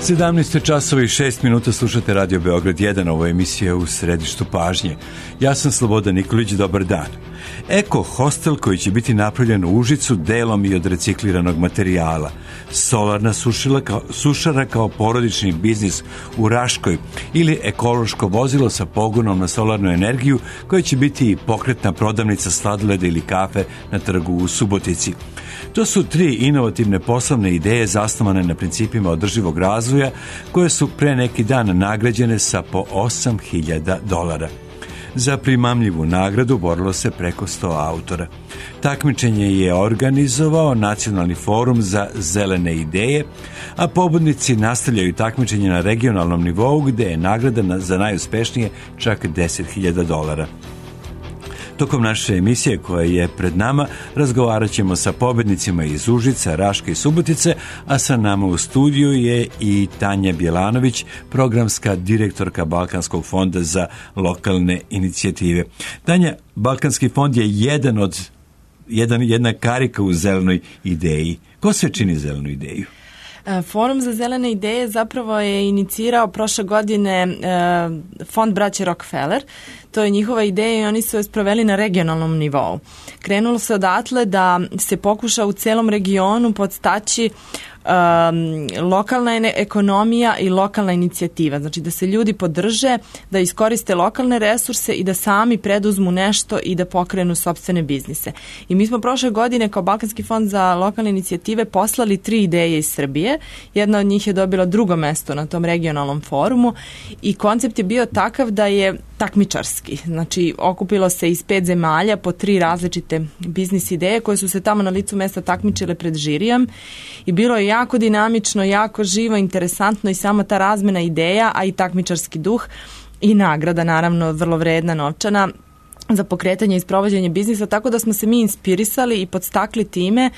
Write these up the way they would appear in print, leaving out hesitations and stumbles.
17 časova i 6 minuta slušate Radio Beograd 1, ovo je emisija U središtu pažnje. Ja sam Slobodan Nikolić, dobar dan. Eko hostel koji će biti napravljen u Užicu delom i od recikliranog materijala. Solarna sušara kao porodični biznis u Raškoj ili ekološko vozilo sa pogonom na solarnu energiju koje će biti i pokretna prodavnica sladoleda ili kafe na trgu u Subotici. To su 3 inovativne poslovne ideje zasnovane na principima održivog razvoja koje su pre neki dan nagrađene sa po $8.000. Za primamljivu nagradu borilo se preko 100 autora. Takmičenje je organizovao Nacionalni forum za zelene ideje, a pobednici nastavljaju takmičenje na regionalnom nivou gde je nagrada za najuspešnije čak $10.000. Tokom naše emisije koja je pred nama razgovarat ćemo sa pobednicima iz Užica, Raške i Subotice, a sa nama u studiju je i Tanja Bjelanović, programska direktorka Balkanskog fonda za lokalne inicijative. Tanja, Balkanski fond je jedna karika u zelenoj ideji. Ko sve čini zelenu ideju? Forum za zelene ideje zapravo je inicirao prošle godine fond braće Rockefeller. To je njihova ideja i oni su je sproveli na regionalnom nivou. Krenulo se odatle da se pokuša u celom regionu podstaći lokalna ekonomija i lokalna inicijativa. Znači da se ljudi podrže, da iskoriste lokalne resurse i da sami preduzmu nešto i da pokrenu sopstvene biznise. I mi smo prošle godine kao Balkanski fond za lokalne inicijative poslali 3 ideje iz Srbije. Jedna od njih je dobila 2. mesto na tom regionalnom forumu i koncept je bio takav da je takmičarski. Znači, okupilo se iz 5 zemalja po 3 različite biznis ideje koje su se tamo na licu mesta takmičile pred žirijom i bilo je jako dinamično, jako živo, interesantno i sama ta razmena ideja, a i takmičarski duh i nagrada, naravno, vrlo vredna novčana za pokretanje i sprovođenje biznisa, tako da smo se mi inspirisali i podstakli time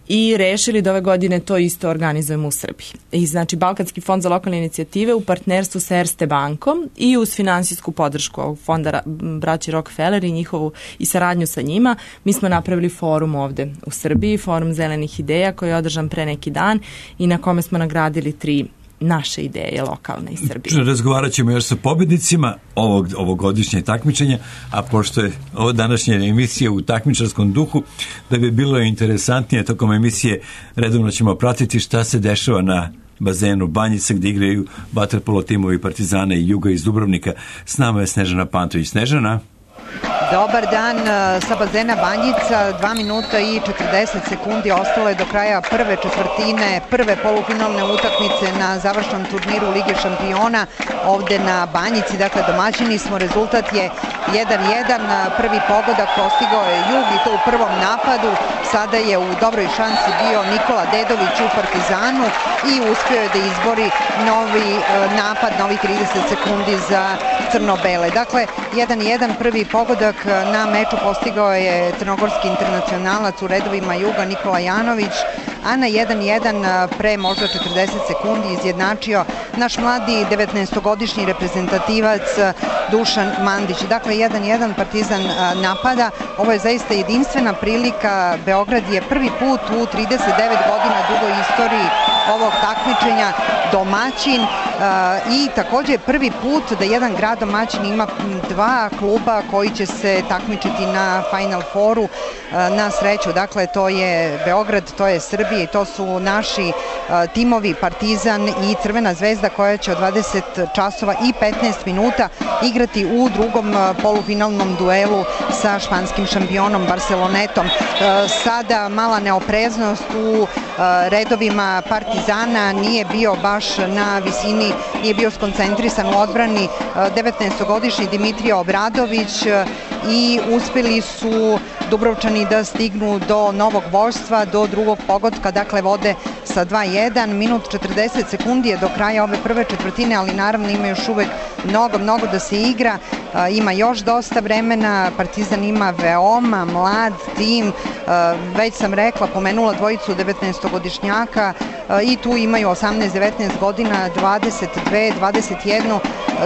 i rešili da ove godine to isto organizujemo u Srbiji. I znači Balkanski fond za lokalne inicijative u partnerstvu sa Erste bankom i uz finansijsku podršku ovog fonda braći Rockefeller i njihovu i saradnju sa njima, mi smo napravili forum ovde u Srbiji, forum zelenih ideja koji je održan pre neki dan i na kome smo nagradili 3 naše ideje lokalne iz Srbije. Razgovarat ćemo još sa pobednicima ovogodišnje takmičenja, a pošto je ovo današnja emisija u takmičarskom duhu, da bi bilo interesantnije tokom emisije, redovno ćemo pratiti šta se dešava na bazenu Banjica gdje igraju vaterpolo timovi Partizana i Juga iz Dubrovnika. S nama je Snežana Pantović. Snežana? Dobar dan sa bazena Banjica, 2 minuta i 40 sekundi ostalo je do kraja prve četvrtine, prve polufinalne utakmice na završnom turniru Lige šampiona ovde na Banjici, dakle domaćini smo, rezultat je 1-1, prvi pogodak postigao je Jug i to u prvom napadu, sada je u dobroj šansi bio Nikola Dedović u Partizanu i uspio je da izbori novi napad, novi 30 sekundi za crno-bele. Dakle, 1-1, prvi pogodak na meču postigao je crnogorski internacionalac u redovima Juga Nikola Janović, a na 1-1 pre možda 40 sekundi izjednačio naš mladi 19-godišnji reprezentativac Dušan Mandić. Dakle, 1-1 Partizan napada. Ovo je zaista jedinstvena prilika. Beograd je prvi put u 39 godina dugoj istoriji ovog takmičenja domaćin i takođe prvi put da jedan grad domaćin ima 2 kluba koji će se takmičiti na Final Fouru na sreću. Dakle, to je Beograd, to je Srbija i to su naši timovi Partizan i Crvena zvezda koja će od 20 časova i 15 minuta igrati u drugom polufinalnom duelu sa španskim šampionom Barcelonetom. Sada mala neopreznost u redovima Partizana, nije bio baš na visini, nije bio skoncentrisan u odbrani 19-godišnji Dimitrije Obradović i uspeli su Dubrovčani da stignu do novog vođstva, do drugog pogotka, dakle vode sa 2-1, minut 40 sekundi je do kraja ove prve četvrtine, ali naravno ima još uvek mnogo da se igra, ima još dosta vremena, Partizan ima veoma mlad tim, već sam rekla, pomenula dvojicu 19-godišnjaka i tu imaju 18-19 godina, 22, 21,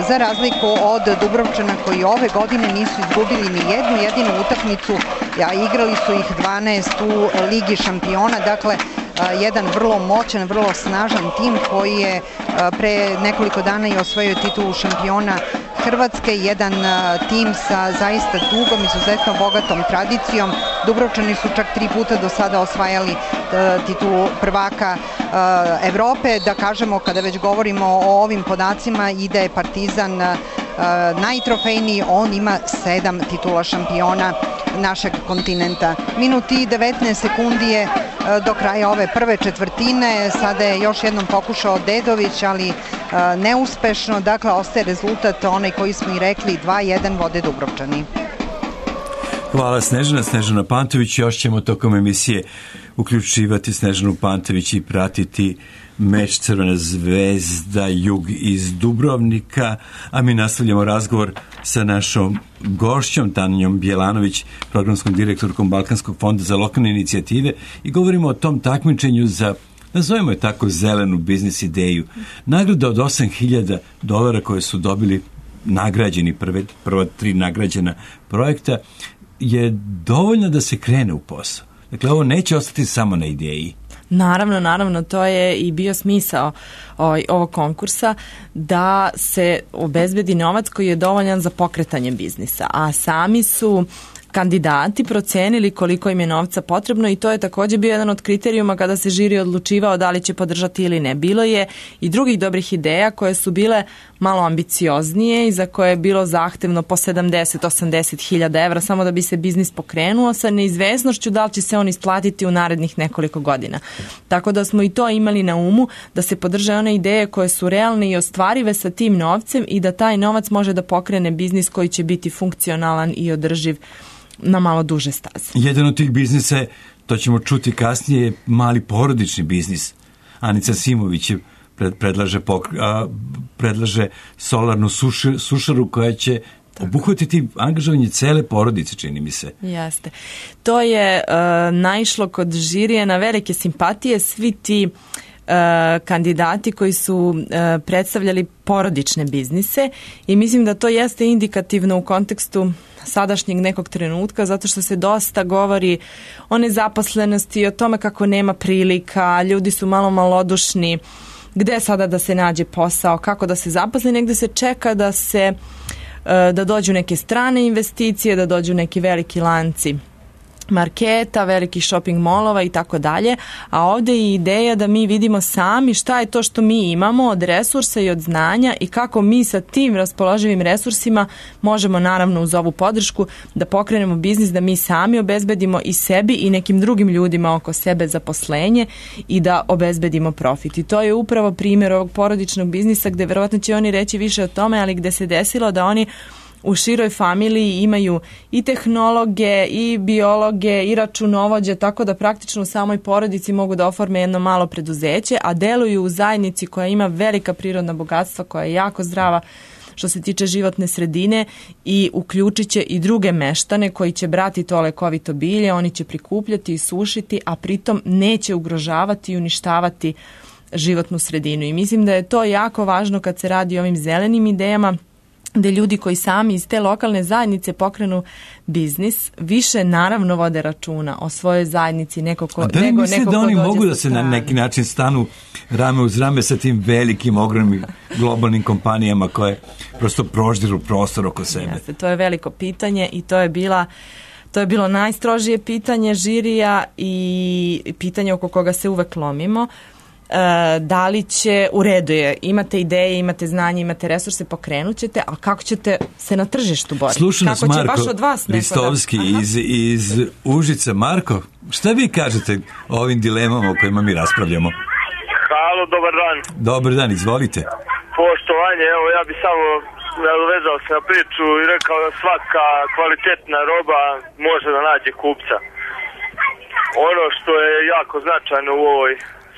za razliku od Dubrovčana koji ove godine nisu izgubili ni jednu jedinu utakmicu, a igrali su ih 12 u Ligi šampiona, dakle jedan vrlo moćan, vrlo snažan tim koji je pre nekoliko dana i osvojio titulu šampiona Hrvatske, jedan tim sa zaista dugom, izuzetno bogatom tradicijom. Dubrovčani su čak 3 puta do sada osvajali titulu prvaka Evrope. Da kažemo, kada već govorimo o ovim podacima, i da je Partizan najtrofejniji, on ima 7 titula šampiona našeg kontinenta. Minut i 19 sekundi je do kraja ove prve četvrtine. Sada je još jednom pokušao Dedović, ali neuspešno. Dakle, ostaje rezultat onaj koji smo i rekli, 2-1 vode Dubrovčani. Hvala Snežana Pantović. Još ćemo tokom emisije uključivati Snežanu Pantović i pratiti meč Crvena zvezda Jug iz Dubrovnika, a mi nastavljamo razgovor sa našom gošćom Tanjom Bjelanović, programskom direktorkom Balkanskog fonda za lokalne inicijative, i govorimo o tom takmičenju za, nazovimo je tako, zelenu biznis ideju. Nagrada od $8.000 koje su dobili nagrađeni, prva 3 nagrađena projekta, je dovoljno da se krene u posao. Dakle, ovo neće ostati samo na ideji. Naravno, to je i bio smisao ovog konkursa, da se obezbedi novac koji je dovoljan za pokretanje biznisa, a sami su kandidati procenili koliko im je novca potrebno i to je također bio jedan od kriterijuma kada se žiri odlučivao da li će podržati ili ne. Bilo je i drugih dobrih ideja koje su bile malo ambicioznije i za koje je bilo zahtevno po 70-80 hiljada evra samo da bi se biznis pokrenuo, sa neizvesnošću da li će se on isplatiti u narednih nekoliko godina. Tako da smo i to imali na umu, da se podrže one ideje koje su realne i ostvarive sa tim novcem i da taj novac može da pokrene biznis koji će biti funkcionalan i održiv na malo duže staze. Jedan od tih biznisa, to ćemo čuti kasnije, je mali porodični biznis. Anica Simović predlaže solarnu sušaru koja će obuhvatiti angažovanje cele porodice, čini mi se. Jeste. To je naišlo kod žirija na velike simpatije. Svi ti kandidati koji su predstavljali porodične biznise i mislim da to jeste indikativno u kontekstu sadašnjeg nekog trenutka, zato što se dosta govori o nezaposlenosti, o tome kako nema prilika, ljudi su malo malodušni, gde sada da se nađe posao, kako da se zaposli, negde se čeka da dođu neke strane investicije, da dođu neki veliki lanci marketa, velikih shopping molova i tako dalje, a ovdje je ideja da mi vidimo sami šta je to što mi imamo od resursa i od znanja i kako mi sa tim raspoloživim resursima možemo, naravno uz ovu podršku, da pokrenemo biznis, da mi sami obezbedimo i sebi i nekim drugim ljudima oko sebe zaposlenje i da obezbedimo profit. I to je upravo primjer ovog porodičnog biznisa gde verovatno će oni reći više o tome, ali gde se desilo da oni u široj familiji imaju i tehnologe, i biologe, i računovođe, tako da praktično u samoj porodici mogu da oforme jedno malo preduzeće, a deluju u zajednici koja ima velika prirodna bogatstva, koja je jako zdrava što se tiče životne sredine i uključit će i druge meštane koji će brati to lekovito bilje, oni će prikupljati i sušiti, a pritom neće ugrožavati i uništavati životnu sredinu. I mislim da je to jako važno kad se radi o ovim zelenim idejama, gde ljudi koji sami iz te lokalne zajednice pokrenu biznis, više naravno vode računa o svojoj zajednici nego da oni mogu da se na neki način stanu rame uz rame sa tim velikim, ogromnim globalnim kompanijama koje prosto proždiru prostor oko sebe? Jeste, to je veliko pitanje i to je bilo najstrožije pitanje žirija i pitanje oko koga se uvek lomimo. Da li će, u redu je, imate ideje, imate znanje, imate resurse, pokrenut ćete, a kako ćete se na tržištu boriti? Sluša nas Marko Ristovski iz Užica. Marko, šta vi kažete o ovim dilemama o kojima mi raspravljamo? Halo, dobar dan. Dobar dan, izvolite. Poštovanje, evo ja bi samo nadovezao se na priču i rekao da svaka kvalitetna roba može da nađe kupca. Ono što je jako značajno u ovoj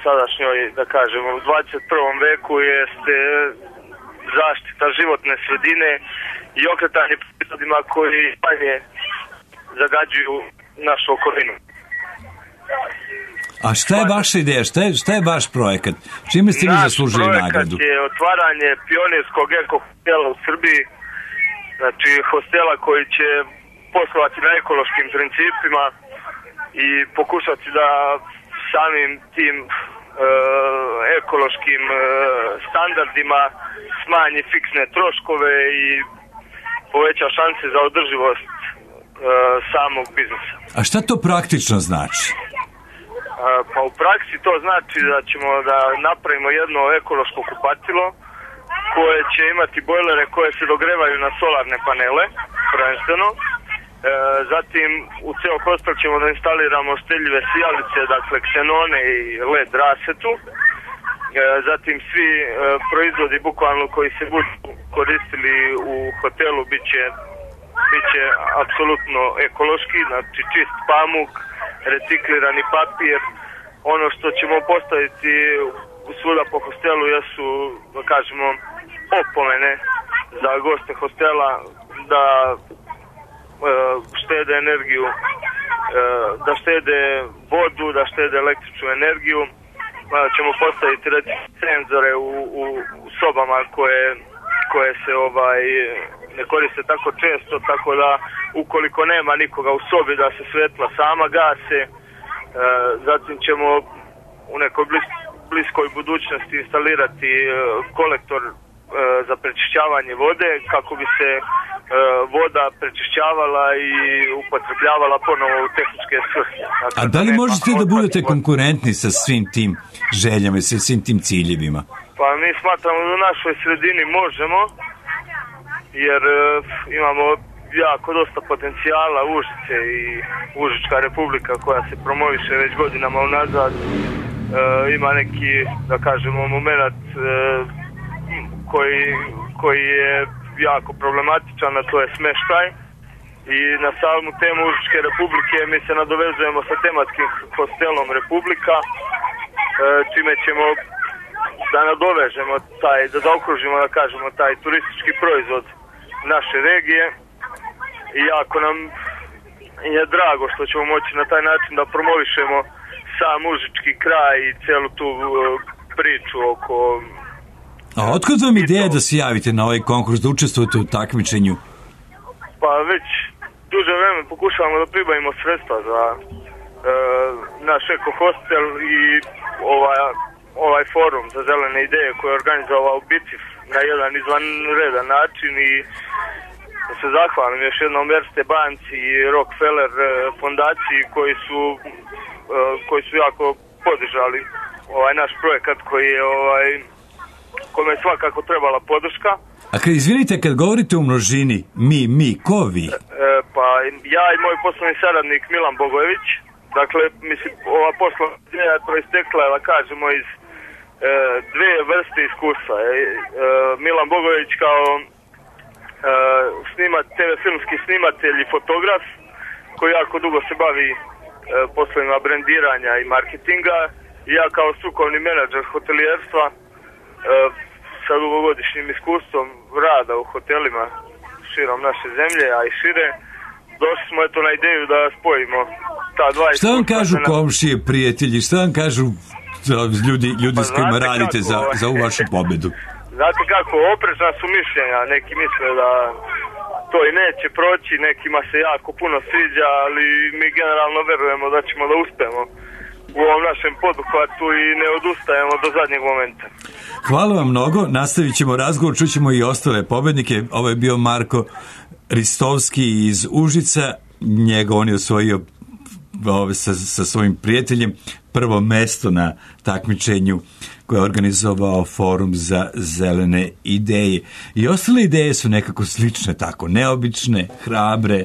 sadašnjoj, da kažemo, u 21. veku jeste zaštita životne sredine i okretanje proizvodima koji manje zagađuju našu okolinu. A šta je vaša ideja? Šta je vaš projekat? Čime ste vi zaslužili nagradu? Naš projekat je otvaranje pionirskog eko-hostela u Srbiji, znači hostela koji će poslovati na ekološkim principima i pokušati da samim tim ekološkim standardima smanji fiksne troškove i poveća šanse za održivost samog biznisa. A šta to praktično znači? Pa u praksi to znači da ćemo da napravimo jedno ekološko kupatilo koje će imati bojlere koje se dogrevaju na solarne panele, prvenstveno. Zatim u ceo hostel ćemo da instaliramo štedljive sijalice, dakle ksenone i LED rasetu. Zatim svi proizvodi bukvalno koji se budu koristili u hotelu bit će apsolutno ekološki, znači čist pamuk, reciklirani papir. Ono što ćemo postaviti svuda po hostelu jesu, da kažemo, opomene za goste hostela da štede energiju, da štede vodu, da štede električnu energiju. Ćemo postaviti senzore u sobama koje se ne koriste tako često, tako da ukoliko nema nikoga u sobi da se svetla sama gase. Zatim ćemo u nekoj bliskoj budućnosti instalirati kolektor za prečišćavanje vode kako bi se voda prečišćavala i upotrebljavala ponovo u tehničke svrhe. A da li možete da budete konkurentni sa svim tim željama i sa svim tim ciljevima? Pa mi smatramo da u našoj sredini možemo, jer imamo jako dosta potencijala Užice i Užička republika koja se promoviše već godinama unazad. Ima neki, da kažemo, moment koji je jako problematičan, a to je smeštaj. I na samu temu Užičke republike mi se nadovezujemo sa tematskim hostelom Republika, čime ćemo da nadovežemo da zaokružimo, da kažemo, taj turistički proizvod naše regije. I jako nam je drago što ćemo moći na taj način da promovišemo sam užički kraj i celu tu priču oko... A otkud vam ideja da se javite na ovaj konkurs, da učestvujete u takmičenju? Pa već duže vreme pokušavamo da pribavimo sredstva za naš eko hostel i ovaj forum za zelene ideje koji je organizovao BICIF na jedan izvanredan način i da se zahvalim još jednom Erste banci i Rockefeller fondaciji koji su jako podržali ovaj naš projekat koji je kome je svakako trebala podrška. A izvinite, kad govorite u množini, mi, ko vi? Pa ja i moj poslovni saradnik Milan Bogojević. Dakle, mislim, ova poslovna ideja je proistekla, da kažemo, iz dve vrste iskustva. Milan Bogojević kao TV filmski snimatelj i fotograf koji jako dugo se bavi poslovima brendiranja i marketinga, i ja kao strukovni menadžer hotelijerstva sa dugogodišnjim iskustvom rada u hotelima širom naše zemlje, a i šire, došli smo na ideju da spojimo ta dva iskustva. Šta vam kažu komšije, prijatelji, šta vam kažu ljudi s kojima radite za ovu vašu pobedu? Znate kako, oprečna su mišljenja, neki misle da to i neće proći, nekima se jako puno sviđa, ali mi generalno verujemo da ćemo da uspemo u ovom našem poduhvatu i ne odustajemo do zadnjeg momenta. Hvala vam mnogo, nastavit ćemo razgovor, čućemo i ostale pobednike. Ovo je bio Marko Ristovski iz Užica, on je osvojio sa svojim prijateljem prvo mesto na takmičenju koje je organizovao Forum za zelene ideje. I ostale ideje su nekako slične, tako, neobične, hrabre.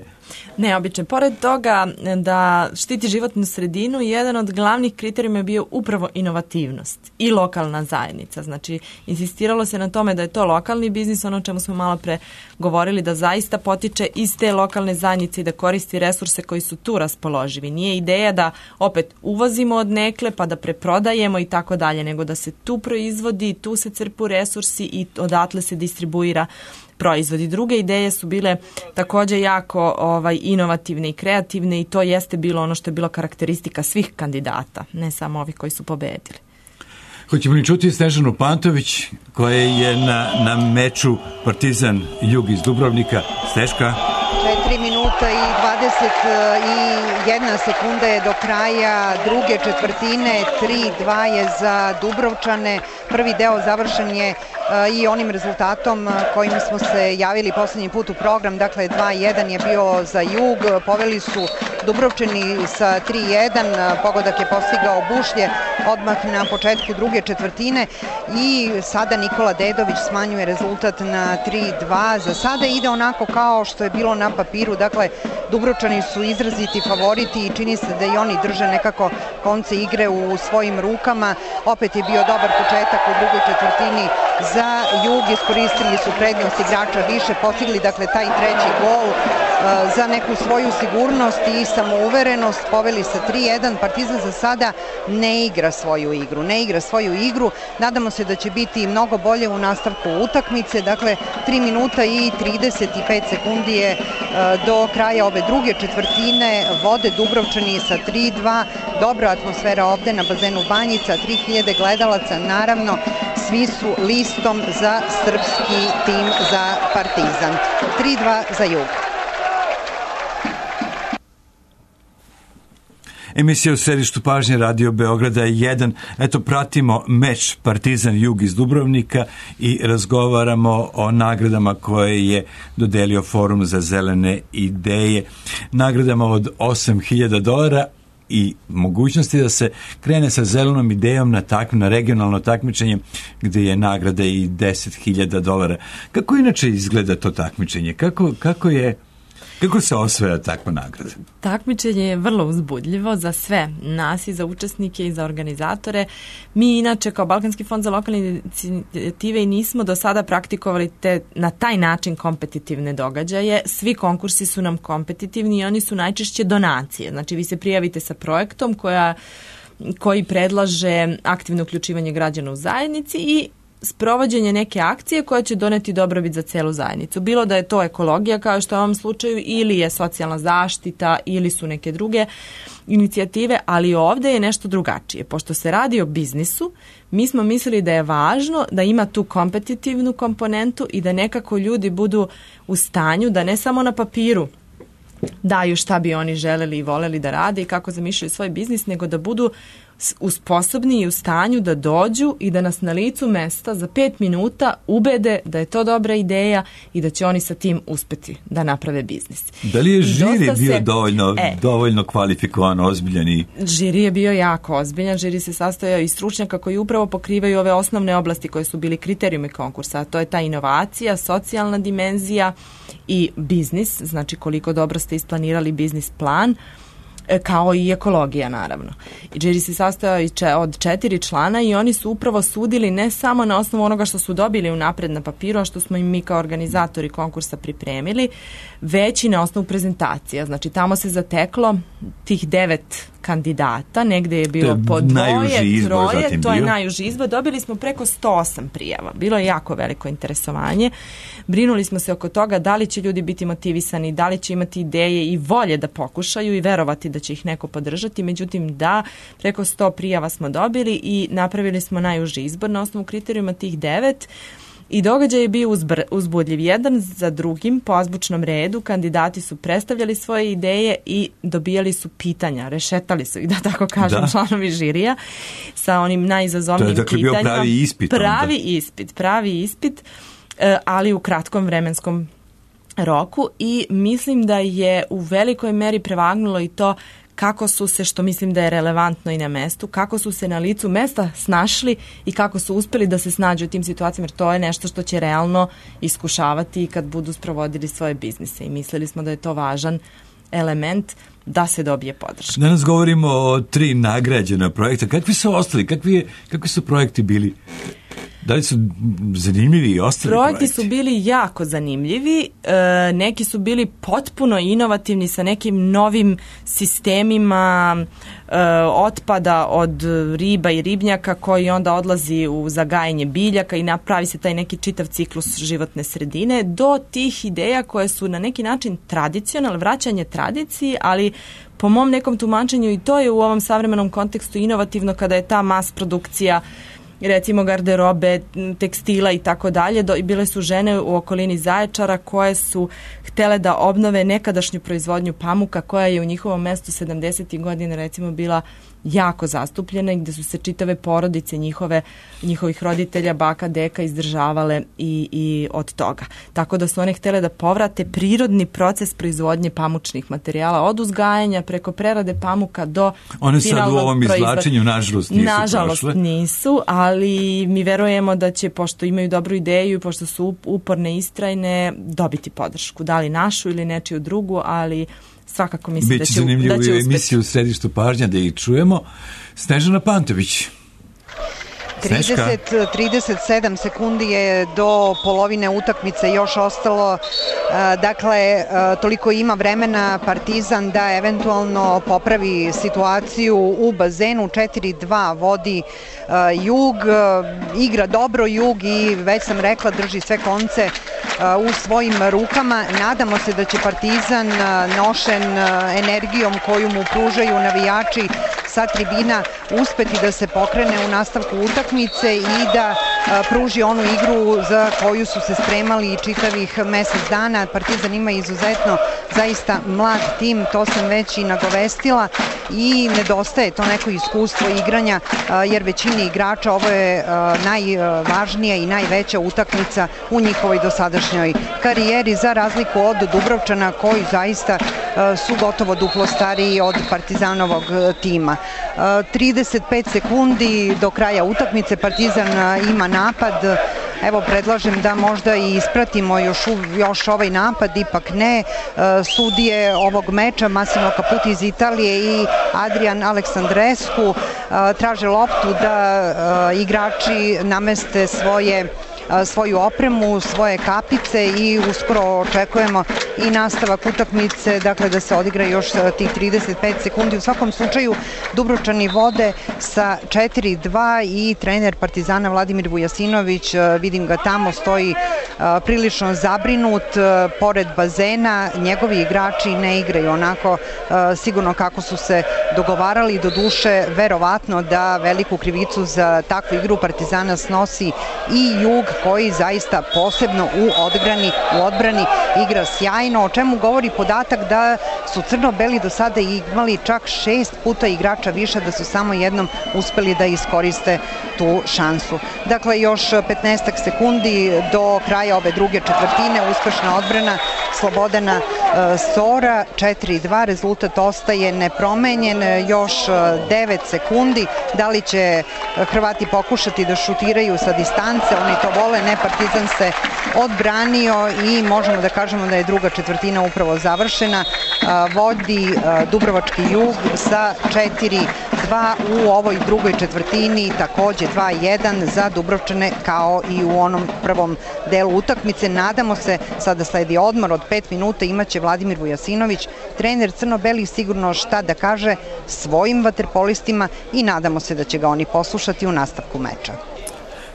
Neobične. Pored toga da štiti životnu sredinu, jedan od glavnih kriterijuma je bio upravo inovativnost i lokalna zajednica. Znači, insistiralo se na tome da je to lokalni biznis, ono o čemu smo malo pre govorili, da zaista potiče iz te lokalne zajednice i da koristi resurse koji su tu raspoloživi. Nije ideja da opet uvozimo od nekle pa da preprodajemo i tako dalje, nego da se tu proizvodi, tu se crpu resursi i odatle se distribuira proizvodi. Druge ideje su bile također jako inovativne i kreativne i to jeste bilo ono što je bilo karakteristika svih kandidata, ne samo ovih koji su pobedili. Hoćemo li čuti Snežanu Pantović koja je na meču Partizan Jug iz Dubrovnika? Sneška? 3 minuta i 21 sekunda je do kraja druge četvrtine. 3-2 je za Dubrovčane. Prvi deo završen je i onim rezultatom kojim smo se javili poslednji put u program, dakle 2-1 je bio za Jug, poveli su Dubrovčani sa 3-1, pogodak je postigao Bušlje odmah na početku druge četvrtine i sada Nikola Dedović smanjuje rezultat na 3-2. Za sada ide onako kao što je bilo na papiru, dakle Dubrovčani su izraziti favoriti i čini se da i oni drže nekako konce igre u svojim rukama. Opet je bio dobar početak u drugoj četvrtini za Jug, iskoristili su prednost igrača više, postigli dakle taj treći gol za neku svoju sigurnost i samouverenost, poveli sa 3-1. Partizan za sada ne igra svoju igru, nadamo se da će biti mnogo bolje u nastavku utakmice, dakle 3 minuta i 35 sekundi je do kraja ove druge četvrtine, vode Dubrovčani sa 3-2, dobra atmosfera ovde na bazenu Banjica, 3000 gledalaca, naravno svi su listom za srpski tim za Partizan. 3-2 za Jug. Emisija u središtu pažnje Radio Beograda 1. Eto, pratimo meč Partizan Jug iz Dubrovnika i razgovaramo o nagradama koje je dodelio Forum za zelene ideje. Nagradama od $8.000 i mogućnosti da se krene sa zelenom idejom na regionalno takmičenje gde je nagrada i $10.000. Kako inače izgleda to takmičenje? Kako se osvaja takva nagrada? Takmičenje je vrlo uzbudljivo za sve nas i za učesnike i za organizatore. Mi inače kao Balkanski fond za lokalne inicijative i nismo do sada praktikovali na taj način kompetitivne događaje. Svi konkursi su nam kompetitivni i oni su najčešće donacije. Znači vi se prijavite sa projektom koji predlaže aktivno uključivanje građana u zajednici i sprovođenje neke akcije koja će doneti dobrobit za celu zajednicu. Bilo da je to ekologija kao što je u ovom slučaju ili je socijalna zaštita ili su neke druge inicijative, ali ovde je nešto drugačije. Pošto se radi o biznisu, mi smo mislili da je važno da ima tu kompetitivnu komponentu i da nekako ljudi budu u stanju da ne samo na papiru daju šta bi oni želeli i voleli da rade i kako zamišljaju svoj biznis, nego da budu sposobni i u stanju da dođu i da nas na licu mesta za 5 minuta ubede da je to dobra ideja i da će oni sa tim uspeti da naprave biznis. Da li je žiri bio dovoljno kvalifikovan, ozbiljan? Žiri je bio jako ozbiljan. Žiri se sastojao iz stručnjaka koji upravo pokrivaju ove osnovne oblasti koje su bili kriterijumi konkursa. A to je ta inovacija, socijalna dimenzija i biznis, znači koliko dobro ste isplanirali biznis plan, kao i ekologija naravno. I žiri se sastojao od 4 člana i oni su upravo sudili ne samo na osnovu onoga što su dobili unapred na papiru, a što smo im mi kao organizatori konkursa pripremili, već i na osnovu prezentacija. Znači tamo se zateklo tih 9 kandidata, negde je bilo po 2, 3, to je najuži izbor. Dobili smo preko 108 prijava. Bilo je jako veliko interesovanje. Brinuli smo se oko toga da li će ljudi biti motivisani, da li će imati ideje i volje da pokušaju i verovati da će ih neko podržati. Međutim, preko 100 prijava smo dobili i napravili smo najuži izbor na osnovu kriterijuma tih 9. I događaj je bio uzbudljiv. Jedan za drugim po azbučnom redu kandidati su predstavljali svoje ideje i dobijali su pitanja, rešetali su ih, da tako kažem, članovi žirija sa onim najizazovnijim pitanjima. To je dakle bio pravi ispit. Pravi ispit, ali u kratkom vremenskom roku i mislim da je u velikoj meri prevagnulo i to kako su se, što mislim da je relevantno i na mestu, kako su se na licu mesta snašli i kako su uspeli da se snađu u tim situacijama, jer to je nešto što će realno iskušavati i kad budu sprovodili svoje biznise i mislili smo da je to važan element da se dobije podrška. Danas govorimo o 3 nagrađena projekta. Kakvi su ostali? Kakvi su projekti bili? Da li su zanimljivi i ostali projekti? Su bili jako zanimljivi. Neki su bili potpuno inovativni sa nekim novim sistemima otpada od riba i ribnjaka koji onda odlazi u zagajanje biljaka i napravi se taj neki čitav ciklus životne sredine, do tih ideja koje su na neki način tradicionalne, vraćanje tradiciji, ali po mom nekom tumačenju i to je u ovom savremenom kontekstu inovativno kada je ta mas produkcija recimo garderobe, tekstila i tako dalje. Bile su žene u okolini Zaječara koje su htele da obnove nekadašnju proizvodnju pamuka koja je u njihovom mestu 70. godine recimo bila jako zastupljena i gde su se čitave porodice njihovih roditelja, baka, deka izdržavale i od toga. Tako da su one htele da povrate prirodni proces proizvodnje pamučnih materijala od uzgajanja preko prerade pamuka do one finalnog sad u ovom izvlačenju nažalost nisu, ali mi verujemo da će, pošto imaju dobru ideju i pošto su uporne i istrajne, dobiti podršku. Da li našu ili nečiju drugu, ali svakako mislim da će uspeti. Biće zanimljivo u emisiju u Središtu pažnja da ih čujemo. Snežana Pantović. 37 sekundi je do polovine utakmice još ostalo, dakle toliko ima vremena Partizan da eventualno popravi situaciju u bazenu. 4-2 vodi Jug, igra dobro Jug i već sam rekla drži sve konce u svojim rukama. Nadamo se da će Partizan nošen energijom koju mu pružaju navijači sa tribina uspeti da se pokrene u nastavku utakmice i da pruži onu igru za koju su se spremali čitavih mesec dana. Partizan ima izuzetno zaista mlad tim, to sam već i nagovestila, i nedostaje to neko iskustvo igranja, jer većini igrača ovo je najvažnija i najveća utakmica u njihovoj dosadašnjoj karijeri, za razliku od Dubrovčana koji zaista su gotovo duplo stariji od Partizanovog tima. 35 sekundi do kraja utakmice, Partizan ima napad. Evo, predlažem da možda i ispratimo još ovaj napad, ipak ne. Sudije ovog meča, Massimo Caputi iz Italije i Adrian Aleksandrescu, traže loptu da igrači nameste svoju opremu, svoje kapice i uskoro očekujemo i nastavak utakmice, dakle da se odigra još tih 35 sekundi. U svakom slučaju Dubrovčani vode sa 4-2 i trener Partizana Vladimir Vujasinović, vidim ga tamo, stoji prilično zabrinut pored bazena. Njegovi igrači ne igraju onako sigurno kako su se dogovarali, do duše verovatno da veliku krivicu za takvu igru Partizana snosi i Jug, koji zaista posebno u odbrani igra sjajno, o čemu govori podatak da su crno-beli do sada imali čak 6 puta igrača više, da su samo jednom uspeli da iskoriste tu šansu. Dakle, još 15 sekundi do kraja ove druge četvrtine, uspešna odbrana Slobodana Sora, 4-2, rezultat ostaje nepromenjen, još 9 sekundi. Da li će Hrvati pokušati da šutiraju sa distance? Oni to vole, ne, Partizan se odbranio i možemo da kažemo da je druga četvrtina upravo završena. Vodi Dubrovački Jug sa 4-2 u ovoj drugoj četvrtini, takođe 2-1 za Dubrovčane kao i u onom prvom delu utakmice. Nadamo se, sada sledi odmor od 5 minuta, imaće Vladimir Vujasinović, trener crno-belih, sigurno šta da kaže svojim vaterpolistima i nadamo se da će ga oni poslušati u nastavku meča.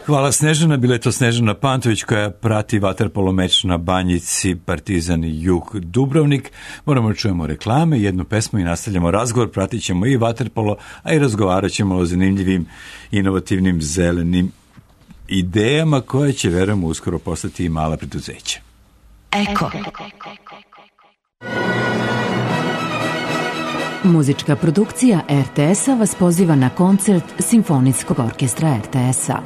Hvala Snežana, bila je to Snežana Pantović koja prati vaterpolo meč na Banjici Partizan Jug Dubrovnik. Moramo da čujemo reklame, jednu pesmu i nastavljamo razgovor, pratit ćemo i vaterpolo, a i razgovarat ćemo o zanimljivim, inovativnim, zelenim idejama koje će, verujemo, uskoro postati i mala preduzeća. Eko. Muzička produkcija RTS-a vas poziva na koncert Simfonijskog orkestra RTS-a.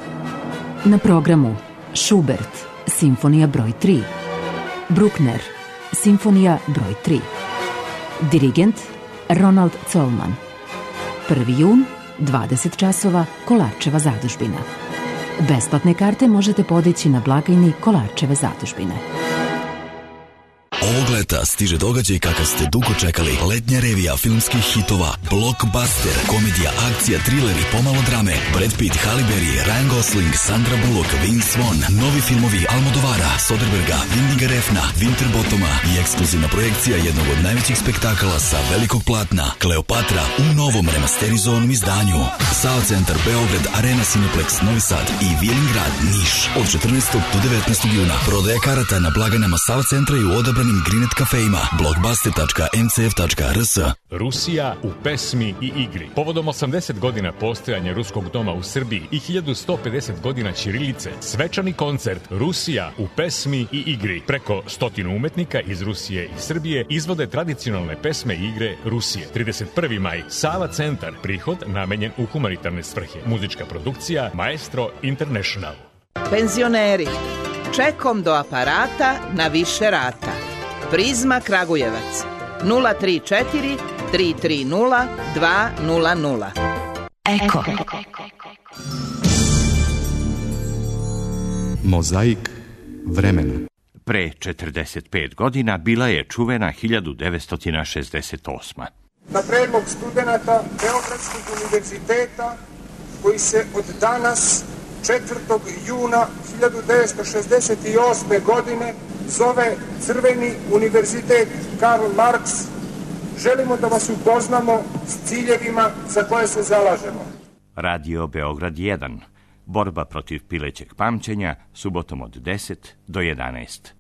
Na programu Schubert, Simfonija broj 3, Bruckner, Simfonija broj 3, dirigent Ronald Zollman. 1. jun, 20 časova, Kolarčeva zadužbina. Besplatne karte možete podići na blagajni Kolarčeve zadužbine. Ovog leta stiže događaj kakav ste dugo čekali. Letnja revija filmskih hitova, blockbuster, komedija, akcija, thriller i pomalo drame. Brad Pitt, Halle Berry, Ryan Gosling, Sandra Bullock, Vince Vaughn, novi filmovi Almodovara, Soderberga, Windiga Refna, Winterbottoma i ekskluzivna projekcija jednog od najvećih spektakala sa velikog platna, Kleopatra, u novom remasterizovanom izdanju. SAO Centar Beograd, Arena Cineplex Novi Sad i Vijelingrad Niš. Od 14. do 19. juna prodaja karata na blagajnama SAO Centra i u odabranim Green Net kafeima blockbuster.ncf.rs. Rusija u pesmi i igri. Povodom 80 godina postojanja Ruskog doma u Srbiji i 1150 godina ćirilice, svečani koncert Rusija u pesmi i igri. Preko 100 umetnika iz Rusije i Srbije izvode tradicionalne pesme i igre Rusije. 31. maj, Sava centar, prihod namenjen u humanitarne svrhe. Muzička produkcija Maestro International. Penzioneri, čekom do aparata na više rata. Prizma Kragujevac 034 330 200. Eko. Mozaik vremena. Pre 45 godina bila je čuvena 1968. Na predlog studenata Beogradskog univerziteta koji se od danas 4. juna 1968. godine zove Crveni univerzitet Karl Marx, želimo da vas upoznamo s ciljevima za koje se zalažemo. Radio Beograd 1. Borba protiv pilećeg pamćenja, subotom od 10 do 11.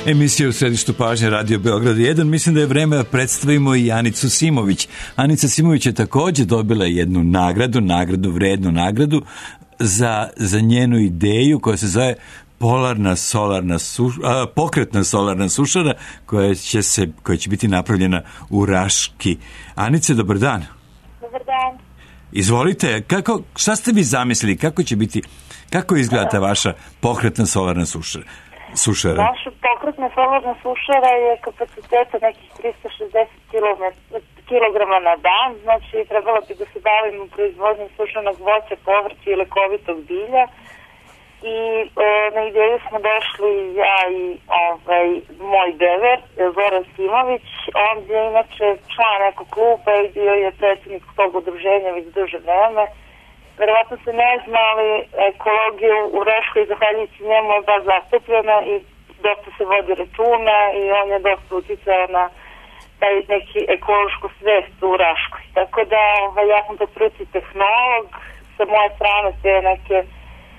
Emisija u središtu pažnje Radio Beograd 1. Mislim da je vreme da predstavimo i Anicu Simović. Anica Simović je također dobila jednu vrednu nagradu za njenu ideju koja se zove pokretna solarna sušara koja će biti napravljena u Raški. Anice, dobar dan. Dobar dan. Izvolite, šta ste vi zamislili, kako izgleda ta vaša pokretna solarna sušara? Naša pokretna solarna sušara je kapaciteta nekih 360 kg na dan, znači trebalo bi da se bavimo proizvodnjom sušenog voća, povrća i lekovitog bilja. I na ideju smo došli ja i moj dever, Zoran Simović. On je inače član nekog kluba i bio je predsjednik tog udruženja već duže vreme. Verovatno se ne zna, ali ekologija u Raškoj, zahvaljujući njemu, je baš zastupljena i dosta se vodi računa i on je dosta uticao na taj neki ekološku svest u Raškoj. Tako da ja sam to prvi tehnolog, sa moje strane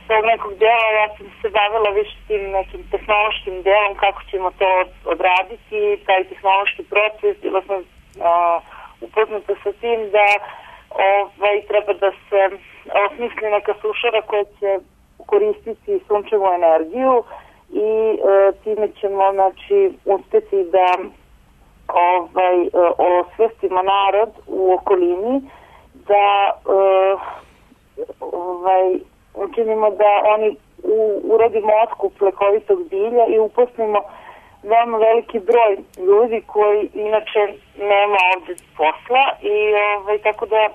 tog nekog dela, ja sam se bavila više tim nekim tehnološkim delom, kako ćemo to odraditi, taj tehnološki proces, bila sam upoznata sa tim da treba da se osmisli neka sušara koja će koristiti sunčevu energiju i time ćemo uspeti da osvestimo narod u okolini, da učinimo da oni uradimo otkup lekovitog bilja i uposlimo veoma veliki broj ljudi koji inače nema ovdje posla i tako da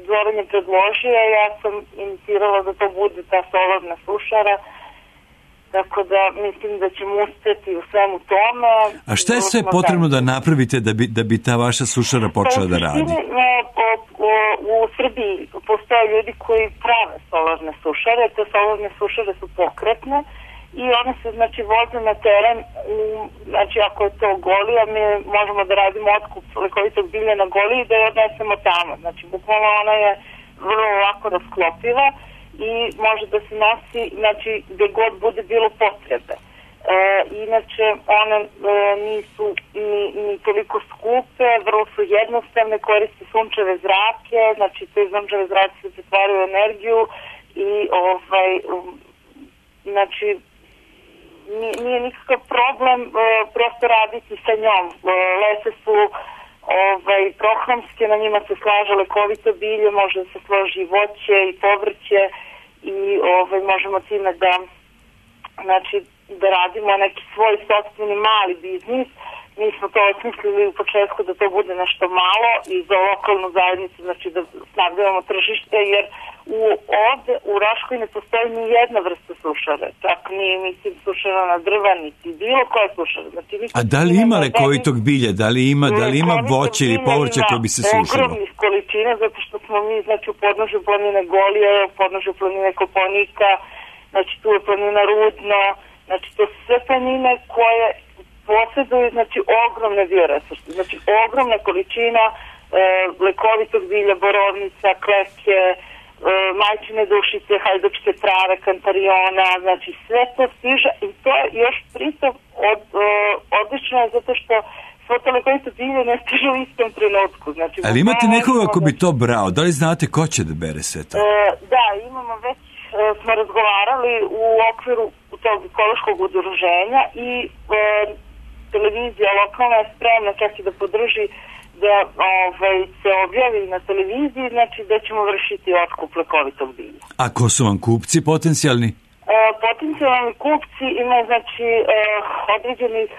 Zoran je predložio, ja sam inicirala da to bude ta solarna sušara, tako da mislim da ćemo uspjeti u svemu tome. A šta je sve potrebno da napravite da bi ta vaša sušara počela da radi? U Srbiji postoje ljudi koji prave solarne sušare, te solarne sušare su pokretne i one se voze na teren, ako je to Golija, mi možemo da radimo otkup lekovitog bilja na Goliji i da je odnesemo tamo. Bukvalno ona je vrlo lako rasklopiva i može da se nosi gde god bude bilo potrebe. Inače, one nisu ni toliko skupe, vrlo su jednostavne, koriste sunčeve zrake, te sunčeve zrake se pretvaraju u energiju i nije nikakav problem prosto raditi sa njom. Lese su prohramske, na njima se slaže lekovito bilje, može da se složi voće i povrće i možemo time da radimo neki svoj sopstveni mali biznis. Mi smo to osmislili u početku da to bude nešto malo i za lokalnu zajednicu, da snabdevamo tržište, jer ovde u Raškoj ne postoji ni jedna vrsta sušara, čak ni sušara na drva, niti bilo koja sušara. A da li ima lekovitog bilja, da li ima voće ili povrće koje bi se sušilo? Ogromnih količina, zato što smo mi, znači, u podnožju planine Golije, u podnožju planine Kopaonika, znači, tu je planina Rudno, znači, to su sve planine koje posjeduju, znači, ogromne bioresurse, znači, ogromna količina lekovitog bilja, borovnica, kleke, majčine dušice, hajdučke trave, kantariona, znači sve to stiže i to je još pritom odlično je zato što svo to lekovito bilje ne stiže u istom trenutku. Znači, ali imate nekoga ko bi to brao? Da li znate ko će da bere sve to? Da, imamo već, smo razgovarali u okviru tog ekološkog udruženja i televizija lokalna je spremna čak i da podrži da se objavi na televiziji, znači da ćemo vršiti otkup lekovitog bilja. A ko su vam kupci potencijalni? Potencijalni kupci imaju, znači, određenih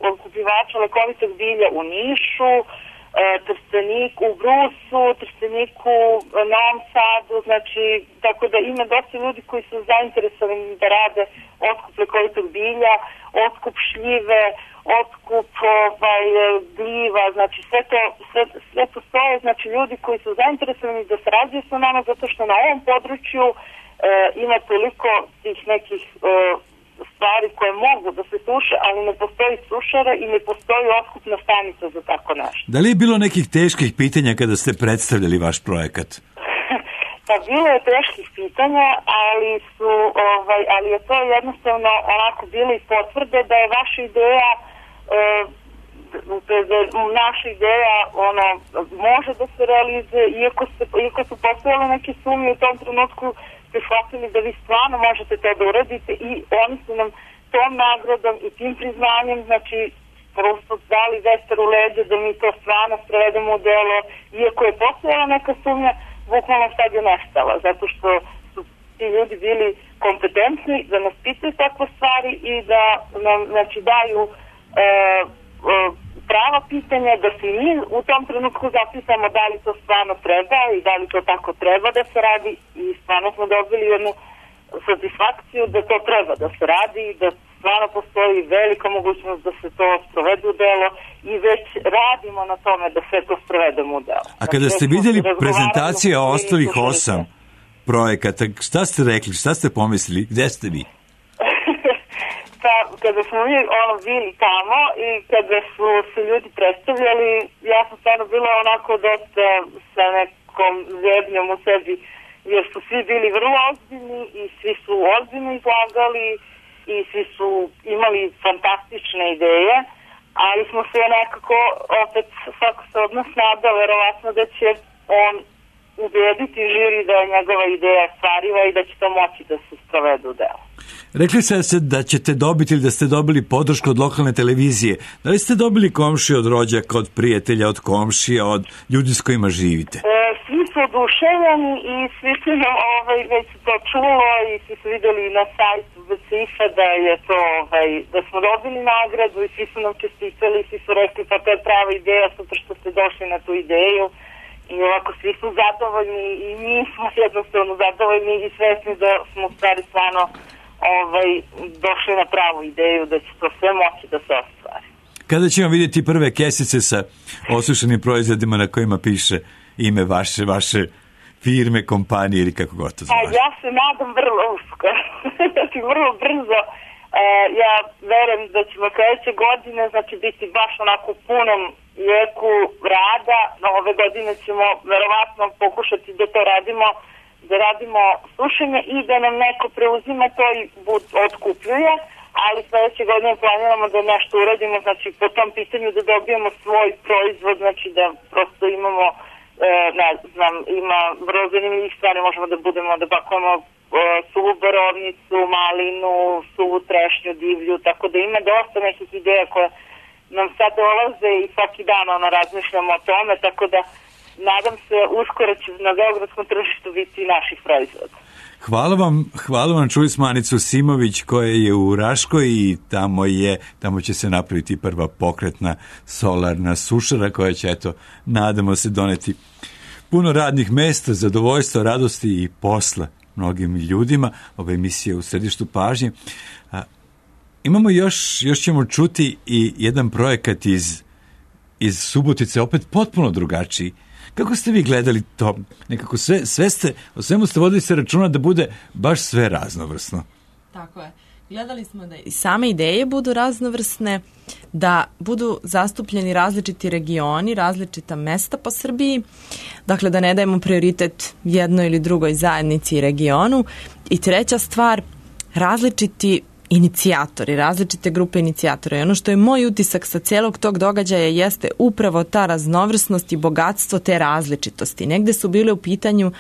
otkupljivača lekovitog bilja u Nišu, Trsteniku, u Brusu, Trsteniku, Novom Sadu, znači, tako da ima dosta ljudi koji su zainteresovani da rade otkup lekovitog bilja, otkup šljive, otkup gljiva, znači sve postoje, znači ljudi koji su zainteresovani da sarađuju sa nama zato što na ovom području ima toliko tih nekih stvari koje mogu da se suše, ali ne postoji sušara i ne postoji otkupna stanica za tako nešto. Da li je bilo nekih teških pitanja kada ste predstavljali vaš projekat? Pa bilo je teških pitanja, ali je to jednostavno onako bilo i potvrde da je vaša ideja naša ideja može da se realizuje, iako su postojale neke sumnje u tom trenutku ste shvatili da vi stvarno možete to da uradite i oni su nam tom nagradom i tim priznanjem, znači prosto dali vetar u leđe da mi to stvarno sprovedemo u delo, iako je postojala neka sumnja, bukvalno sad je nestala, zato što su ti ljudi bili kompetentni da nas pitaju takve stvari i da nam, znači, daju prava pitanja, da se mi u tom trenutku zapisamo da li to stvarno treba i da li to tako treba da se radi i stvarno smo dobili jednu satisfakciju da to treba da se radi i da stvarno postoji velika mogućnost da se to sprovede u delo i već radimo na tome da sve to sprovedemo u delo. A kada ste vidjeli prezentacije ostalih 8 projekata, šta ste rekli, šta ste pomislili, gde ste vi? Kada smo mi bili tamo i kada su se ljudi predstavljali, ja sam stvarno bila onako dosta sa nekom zebnjom u sebi, jer su svi bili vrlo ozbiljni i svi su ozbiljno izlagali i svi su imali fantastične ideje, ali smo se nekako opet svako se od nas nadao verovatno da će on ubediti žiri da je njegova ideja stvariva i da će to moći da se sprovede u delo. Rekli ste da ćete dobiti ili da ste dobili podršku od lokalne televizije. Da li ste dobili komšije od rođaka, od prijatelja, od komšija, od ljudi s kojima živite? Svi su oduševljeni i svi su nam već to čulo i svi su videli na sajtu BCIF-a da je to, da smo dobili nagradu i svi su nam čestitali, svi su rekli pa to je prava ideja, super što ste došli na tu ideju. I ovako svi su zadovoljni i mi smo jednostavno zadovoljni i svesni da smo u stvari stvarno došli na pravu ideju da će to sve moći da se ostvari. Kada ćemo vidjeti prve kesice sa osušenim proizvodima na kojima piše ime vaše firme, kompanije ili kako god to zove? Ja se nadam vrlo uskoro, znači vrlo brzo. Ja verujem da ćemo sledeće godine znači biti baš onako u punom jeku rada. Ove godine ćemo verovatno pokušati da to radimo, da radimo sušenje i da nam neko preuzima to i otkupljuje, ali sledeće godine planiramo da nešto uradimo, znači po tom pitanju da dobijemo svoj proizvod, znači da prosto imamo, ne znam, ima vrlo zanimljivih stvari, možemo da budemo, da bakujemo suvu borovnicu, malinu, suvu trešnju, divlju, tako da ima dosta nekih ideja koje nam sad dolaze i svaki dan razmišljamo o tome, tako da nadam se uskoro će na beogradskom tržištu biti i naših proizvoda. Hvala vam, čuli smo Anicu Simović koja je u Raškoj i tamo će se napraviti prva pokretna solarna sušara koja će, eto, nadamo se doneti puno radnih mesta, zadovoljstva, radosti i posla mnogim ljudima. Ova emisija je u središtu pažnje. Imamo još ćemo čuti i jedan projekat iz Subotice, opet potpuno drugačiji, Kako ste vi gledali to? Nekako o svemu ste vodili se računa da bude baš sve raznovrsno. Tako je. Gledali smo da i same ideje budu raznovrsne, da budu zastupljeni različiti regioni, različita mesta po Srbiji, dakle da ne dajemo prioritet jednoj ili drugoj zajednici i regionu. I treća stvar, različiti inicijatori, različite grupe inicijatora. I ono što je moj utisak sa celog tog događaja jeste upravo ta raznovrsnost i bogatstvo te različitosti. Negde su bile u pitanju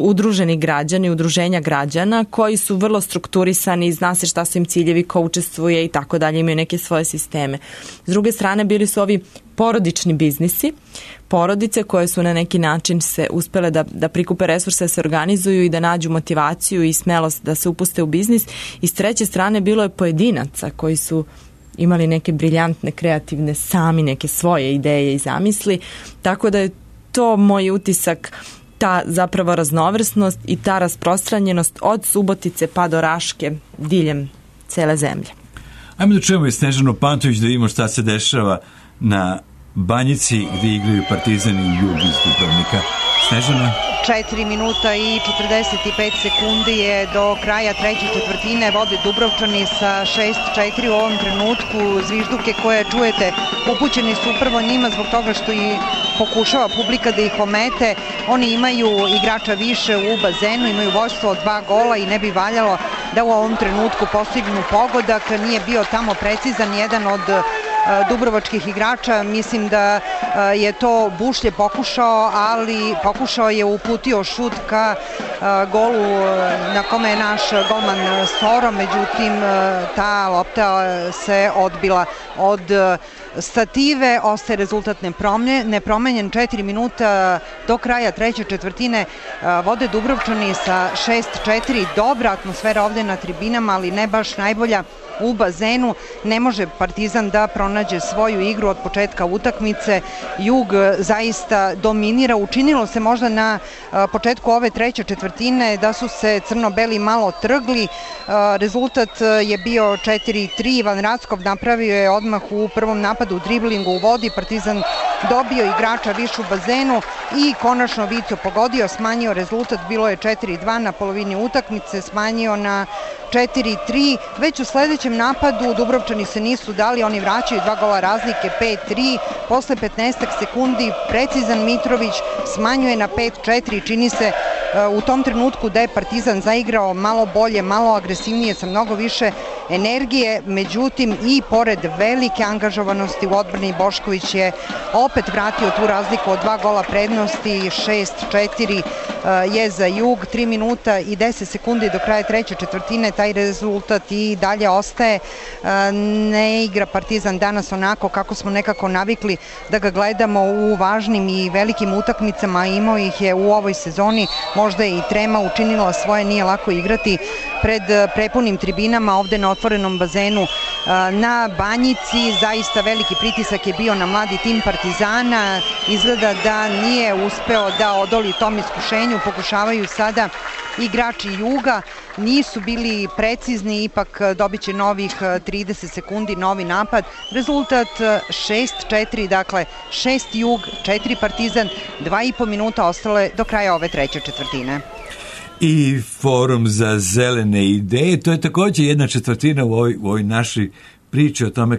udruženi građani, udruženja građana koji su vrlo strukturisani, zna se šta su im ciljevi, ko učestvuje i tako dalje, imaju neke svoje sisteme. S druge strane bili su ovi porodični biznisi, porodice koje su na neki način se uspele da prikupe resurse, da se organizuju i da nađu motivaciju i smelost da se upuste u biznis. I s treće strane bilo je pojedinaca koji su imali neke briljantne, kreativne, sami neke svoje ideje i zamisli, tako da je to moj utisak, ta zapravo raznovrsnost i ta rasprostranjenost od Subotice pa do Raške diljem cele zemlje. Ajmo da čujemo i Snežanu Pantović da vidimo šta se dešava na Banjici gdje igraju Partizan i Jug iz Dubrovnika. Snežana? 4 minuta i 45 sekundi je do kraja treće četvrtine, vode Dubrovčani sa 6-4 u ovom trenutku. Zvižduke koje čujete upućeni su upravo njima zbog toga što i pokušava publika da ih omete. Oni imaju igrača više u bazenu, imaju vođstvo od 2 gola i ne bi valjalo da u ovom trenutku postignu pogodak. Nije bio tamo precizan jedan od dubrovačkih igrača, mislim da je to Bušlje pokušao je uputio šut ka golu na kome je naš golman Soro, međutim ta lopta se odbila od stative, ostaje rezultat nepromenjen. 4 minuta do kraja treće četvrtine, vode Dubrovčani sa 6-4, dobra atmosfera ovde na tribinama, ali ne baš najbolja u bazenu. Ne može Partizan da pronađe svoju igru od početka utakmice. Jug zaista dominira. Učinilo se možda na početku ove treće četvrtine da su se crno-beli malo trgli. Rezultat je bio 4-3. Ivan Rackov napravio je odmah u prvom napadu driblingu u vodi. Partizan dobio igrača više u bazenu i konačno Vico pogodio, smanjio rezultat, bilo je 4-2 na polovini utakmice, smanjio na 4-3. Već u sledećem napadu Dubrovčani se nisu dali, oni vraćaju 2 gola razlike, 5-3. Posle 15 sekundi precizan Mitrović smanjuje na 5-4. Čini se u tom trenutku da je Partizan zaigrao malo bolje, malo agresivnije, sa mnogo više energije, međutim i pored velike angažovanosti u odbrani Bošković je opet vratio tu razliku od 2 gola prednosti. 6-4 je za Jug. 3 minuta i 10 sekundi do kraja treće četvrtine, taj rezultat i dalje ostaje. Ne igra Partizan danas onako kako smo nekako navikli da ga gledamo u važnim i velikim utakmicama, imao ih je u ovoj sezoni, možda je i trema učinila svoje, nije lako igrati pred prepunim tribinama ovde na otvorenom bazenu na Banjici. Zaista veliki pritisak je bio na mladi tim Partizana, izgleda da nije uspeo da odoli tom iskušenju, pokušavaju sada igrači Juga, nisu bili precizni, ipak dobit će novih 30 sekundi, novi napad. Rezultat 6-4, dakle 6 Jug, 4 Partizan, 2,5 minuta ostale do kraja ove treće četvrtine. I Forum za zelene ideje, to je također jedna četvrtina u ovoj našoj priči o tome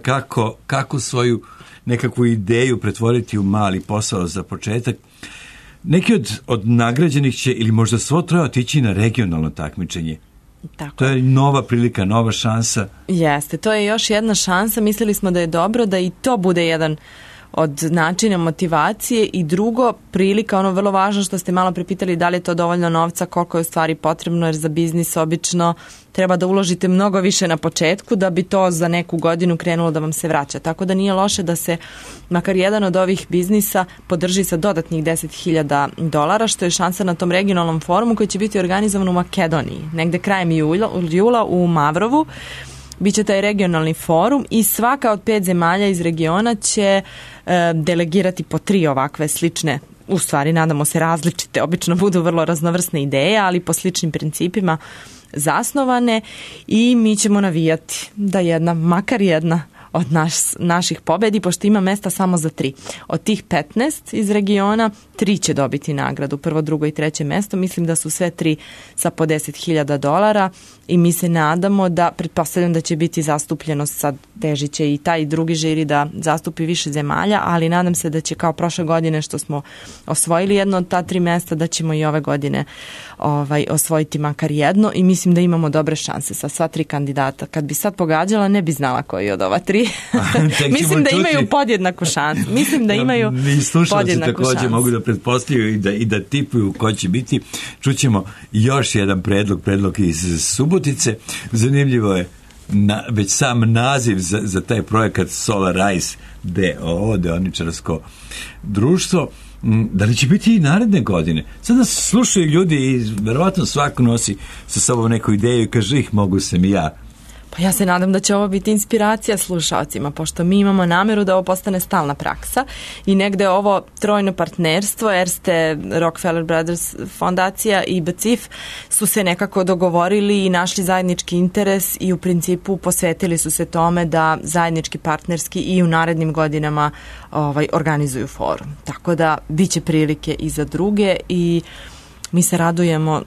kako svoju nekakvu ideju pretvoriti u mali posao za početak. Neki od nagrađenih će ili možda svo troje otići na regionalno takmičenje. Tako. To je nova prilika, nova šansa. Jeste, to je još jedna šansa. Mislili smo da je dobro da i to bude jedan od načina motivacije i drugo, prilika, ono vrlo važno što ste malo prepitali, da li je to dovoljno novca, koliko je u stvari potrebno, jer za biznis obično treba da uložite mnogo više na početku da bi to za neku godinu krenulo da vam se vraća. Tako da nije loše da se makar jedan od ovih biznisa podrži sa dodatnih $10.000, što je šansa na tom regionalnom forumu koji će biti organizovan u Makedoniji, negde krajem jula u Mavrovu. Biće taj regionalni forum i svaka od 5 zemalja iz regiona će delegirati po 3 ovakve slične, u stvari nadamo se različite, obično budu vrlo raznovrsne ideje, ali po sličnim principima zasnovane, i mi ćemo navijati da makar jedna od naših pobedi, pošto ima mesta samo za 3. Od tih 15 iz regiona, 3 će dobiti nagradu, prvo, drugo i treće mesto. Mislim da su sve 3 sa po $10.000 i mi se nadamo da, pretpostavljam da će biti zastupljenost, sad težit će i taj drugi žiri da zastupi više zemalja, ali nadam se da će kao prošle godine što smo osvojili jedno od ta 3 mesta, da ćemo i ove godine osvojiti makar jedno i mislim da imamo dobre šanse sa sva 3 kandidata. Kad bi sad pogađala, ne bi znala koji od ova 3. Mislim da imaju podjednaku šansu. Mislim da imaju podjednaku šansu. Mogu da pretpostavljaju i da tipuju ko će biti. Čućemo još jedan predlog iz Subotice. Zanimljivo je već sam naziv za taj projekat Solarize DOO, deoničarsko društvo. Da li će biti i naredne godine? Sada slušaju ljudi i verovatno svako nosi sa sobom neku ideju i kaže mogu sam i ja. Pa ja se nadam da će ovo biti inspiracija slušalcima, pošto mi imamo nameru da ovo postane stalna praksa i negde ovo trojno partnerstvo, Erste, Rockefeller Brothers fondacija i BCIF su se nekako dogovorili i našli zajednički interes i u principu posvetili su se tome da zajednički partnerski i u narednim godinama organizuju forum. Tako da bit će prilike i za druge i mi se radujemo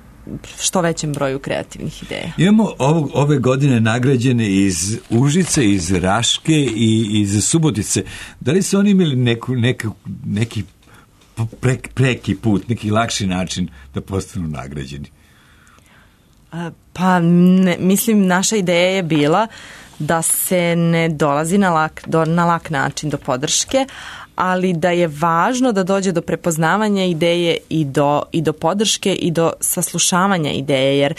što većem broju kreativnih ideja. Imamo ove godine nagrađene iz Užice, iz Raške i iz Subotice. Da li su oni imali neki preki put, neki lakši način da postanu nagrađeni? Pa mislim, naša ideja je bila da se ne dolazi na lak način do podrške, ali da je važno da dođe do prepoznavanja ideje i do podrške i do saslušavanja ideje, jer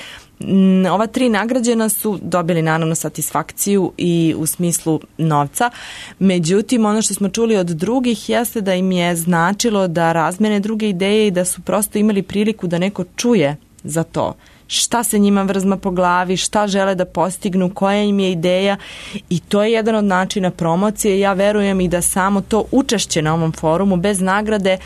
ova 3 nagrađena su dobili naravno satisfakciju i u smislu novca, međutim ono što smo čuli od drugih jeste da im je značilo da razmene druge ideje i da su prosto imali priliku da neko čuje za to šta se njima vrzma po glavi, šta žele da postignu, koja im je ideja i to je jedan od načina promocije. Ja verujem i da samo to učešće na ovom forumu bez nagrade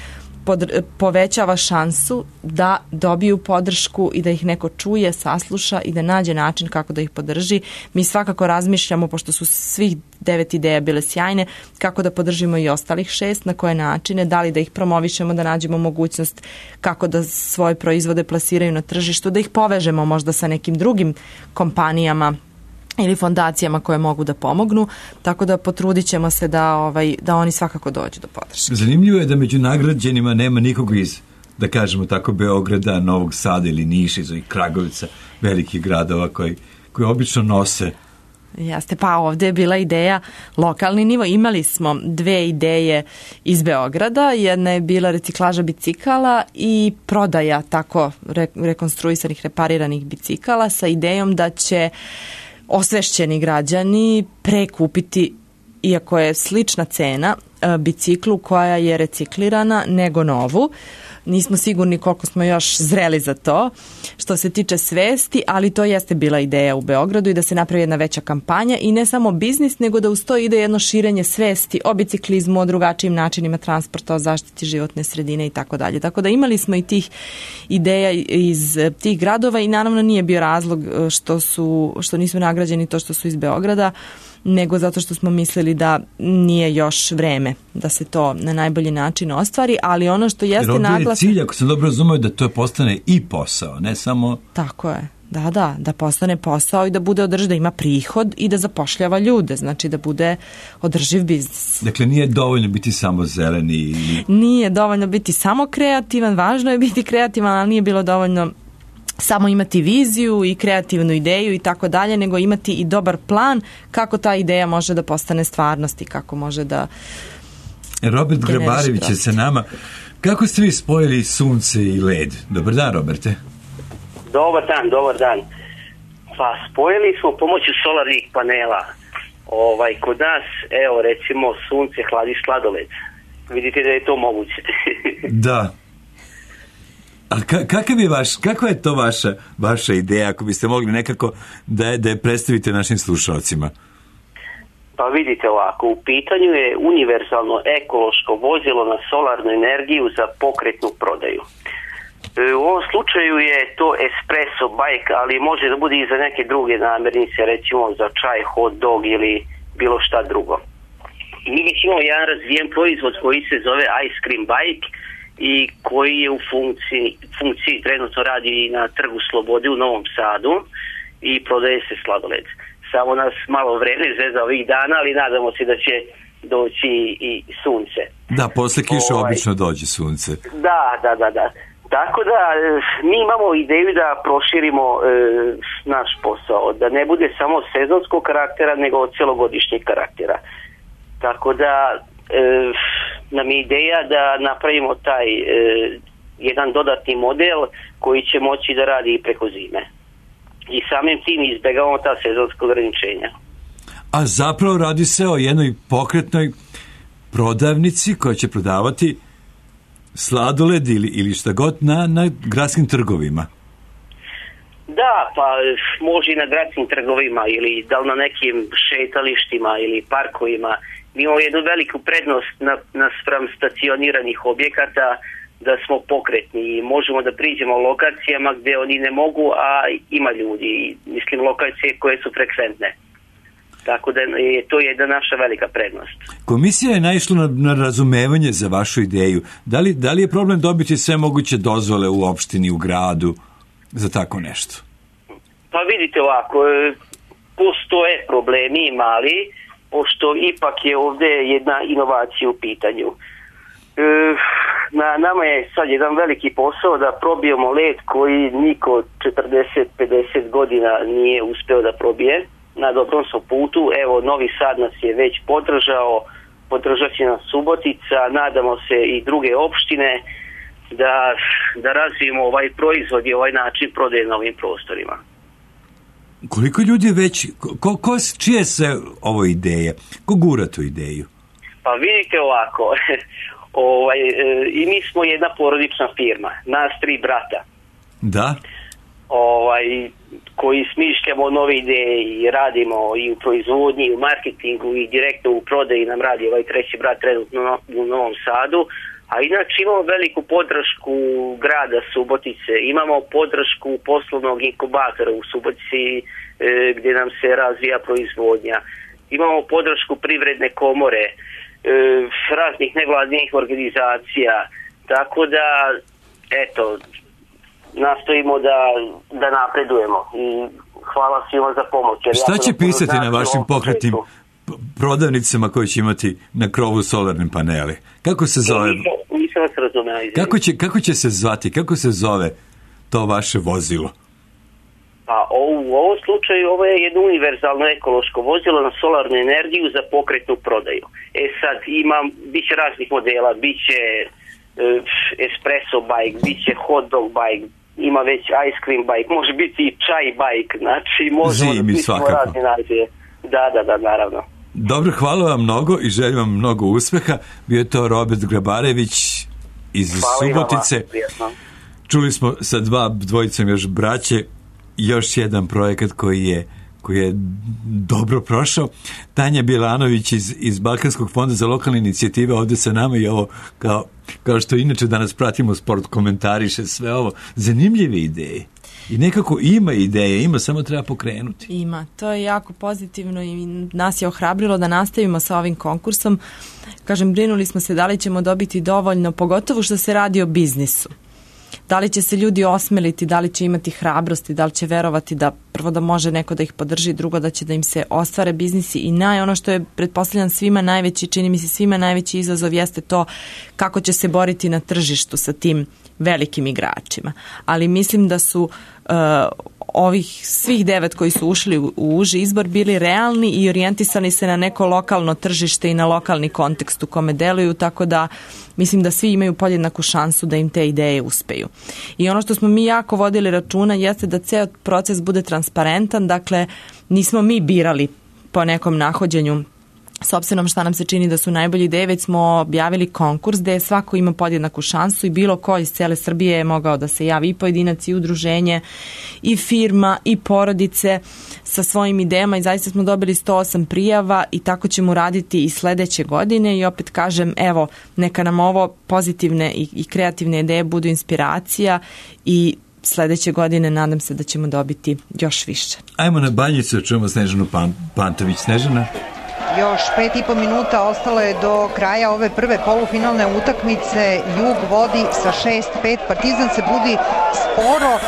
povećava šansu da dobiju podršku i da ih neko čuje, sasluša i da nađe način kako da ih podrži. Mi svakako razmišljamo, pošto su svih 9 ideja bile sjajne, kako da podržimo i ostalih 6, na koje načine, da li da ih promovišemo, da nađemo mogućnost kako da svoje proizvode plasiraju na tržištu, da ih povežemo možda sa nekim drugim kompanijama ili fondacijama koje mogu da pomognu, tako da potrudit ćemo se da oni svakako dođu do podrške. Zanimljivo je da među nagrađenima nema nikog iz, da kažemo tako, Beograda, Novog Sada ili Niša, iz ovih Kragovica, velikih gradova koji obično nose. Jeste, pa ovdje je bila ideja lokalni nivo. Imali smo 2 ideje iz Beograda. Jedna je bila reciklaža bicikala i prodaja tako rekonstruisanih, repariranih bicikala sa idejom da će osvešćeni građani prekupiti, iako je slična cena, biciklu koja je reciklirana nego novu. Nismo sigurni koliko smo još zreli za to što se tiče svesti, ali to jeste bila ideja u Beogradu i da se napravi jedna veća kampanja i ne samo biznis, nego da uz to ide jedno širenje svesti o biciklizmu, o drugačijim načinima transporta, o zaštiti životne sredine i tako dalje. Tako da imali smo i tih ideja iz tih gradova i naravno nije bio razlog što nisu nagrađeni to što su iz Beograda, nego zato što smo mislili da nije još vreme da se to na najbolji način ostvari, ali ono što jeste naglasak... Jer ovdje je cilj, ako sam dobro razumio, da to postane i posao, ne samo... Tako je, da postane posao i da bude održiv, da ima prihod i da zapošljava ljude, znači da bude održiv biznis. Dakle, nije dovoljno biti samo zeleni? Nije dovoljno biti samo kreativan, važno je biti kreativan, ali nije bilo dovoljno samo imati viziju i kreativnu ideju i tako dalje, nego imati i dobar plan kako ta ideja može da postane stvarnost i kako može da... Robert Grabarević je sa nama. Kako ste vi spojili sunce i led? Dobar dan, Roberte. Dobar dan. Pa spojili smo pomoću solarnih panela. Kod nas, evo recimo, sunce hladi sladoled. Vidite da je to moguće. Da. A kakva je to vaša ideja, ako biste mogli nekako da je predstavite našim slušalcima? Pa vidite ovako, u pitanju je univerzalno ekološko vozilo na solarnu energiju za pokretnu prodaju. U ovom slučaju je to espresso bike, ali može da bude i za neke druge namirnice, recimo za čaj, hot dog ili bilo šta drugo. I mi već imamo jedan razvijen proizvod koji se zove Ice Cream Bike i koji je u funkciji trenutno radi na Trgu Slobode u Novom Sadu i prodaje se sladoled. Samo nas malo vreme zvezda ovih dana, ali nadamo se da će doći i sunce. Da, posle kiše obično dođe sunce. Da. Tako da mi imamo ideju da proširimo naš posao, da ne bude samo sezonskog karaktera, nego celogodišnjeg karaktera. Tako da nam je ideja da napravimo taj jedan dodatni model koji će moći da radi i preko zime. I samim tim izbjegavamo ta sezonska ograničenja. A zapravo radi se o jednoj pokretnoj prodavnici koja će prodavati sladoled ili šta god na gradskim trgovima. Da, pa može i na gradskim trgovima ili da li na nekim šetalištima ili parkovima. Mi imamo jednu veliku prednost naspram stacioniranih objekata da smo pokretni i možemo da priđemo lokacijama gdje oni ne mogu, a ima ljudi. Mislim, lokacije koje su frekventne. Tako da je to jedna naša velika prednost. Komisija je naišla na razumevanje za vašu ideju. Da li je problem dobiti sve moguće dozvole u opštini, u gradu za tako nešto? Pa vidite ovako, postoje problemi mali, pošto ipak je ovdje jedna inovacija u pitanju. Na nama je sad jedan veliki posao da probijemo led koji niko 40-50 godina nije uspeo da probije. Na dobrom smo putu, evo Novi Sad nas je već podržat će nas Subotica, nadamo se i druge opštine da razvijemo ovaj proizvod i ovaj način prodaje na ovim prostorima. Koliko ljudi već, čije se ovo ideje? Ko gura tu ideju? Pa vidite ovako, i mi smo jedna porodična firma, nas 3 brata. Da? Koji smišljamo nove ideje i radimo i u proizvodnji, i u marketingu i direktno u prodaji nam radi ovaj treći brat trenutno u Novom Sadu, a inače imamo veliku podršku grada Subotice, imamo podršku poslovnog inkubatora u Subotici gdje nam se razvija proizvodnja, imamo podršku privredne komore, raznih nevladinih organizacija, tako da eto, nastojimo da napredujemo i hvala svima za pomoć. Šta će pisati na vašim pokretnim prodavnicama koje će imati na krovu solarne panele? Kako se zove? Nisam vas razumela. Kako će se zvati? Kako se zove to vaše vozilo? Pa u ovom slučaju ovo je jedno univerzalno ekološko vozilo na solarnu energiju za pokretnu prodaju. Sad bit će raznih modela, bit će espresso bike, bit će hot dog bike, ima već ice cream bike, može biti i čaj bike, znači možemo da pismo razne nazive. Da, naravno. Dobro, hvala vam mnogo i želim vam mnogo uspeha. Bio je to Robert Grabarević iz Subotice. Čuli smo sa dvojicom još braće, još jedan projekat koji je dobro prošao. Tanja Bjelanović iz Balkanskog fonda za lokalne inicijative ovdje sa nama i ovo kao što inače danas pratimo sport, komentariše sve ovo. Zanimljive ideje. I nekako ima ideje, samo treba pokrenuti. Ima, to je jako pozitivno i nas je ohrabrilo da nastavimo sa ovim konkursom. Kažem, brinuli smo se da li ćemo dobiti dovoljno, pogotovo što se radi o biznisu. Da li će se ljudi osmeliti, da li će imati hrabrosti, da li će verovati da prvo da može neko da ih podrži, drugo da će da im se ostvare biznisi i ono što je pretpostavljam svima najveći, čini mi se svima najveći izazov jeste to kako će se boriti na tržištu sa tim velikim igračima. Ali mislim da su ovih svih 9 koji su ušli u uži izbor bili realni i orijentisani se na neko lokalno tržište i na lokalni kontekst u kome deluju, tako da mislim da svi imaju podjednaku šansu da im te ideje uspeju. I ono što smo mi jako vodili računa jeste da ceo proces bude transparentan, dakle nismo mi birali po nekom nahođenju s obzirom šta nam se čini da su najbolji ideje, već smo objavili konkurs gde svako ima podjednaku šansu i bilo ko iz cele Srbije je mogao da se javi, i pojedinac, i udruženje, i firma, i porodice sa svojim idejama i zaista smo dobili 108 prijava i tako ćemo raditi i sledeće godine i opet kažem, evo, neka nam ovo pozitivne i kreativne ideje budu inspiracija i sledeće godine nadam se da ćemo dobiti još više. Ajmo na Banjicu, čujemo Snežanu Pantović. Snežana? Još 5,5 minuta ostalo je do kraja ove prve polufinalne utakmice. Jug vodi sa 6-5. Partizan se budi sporo,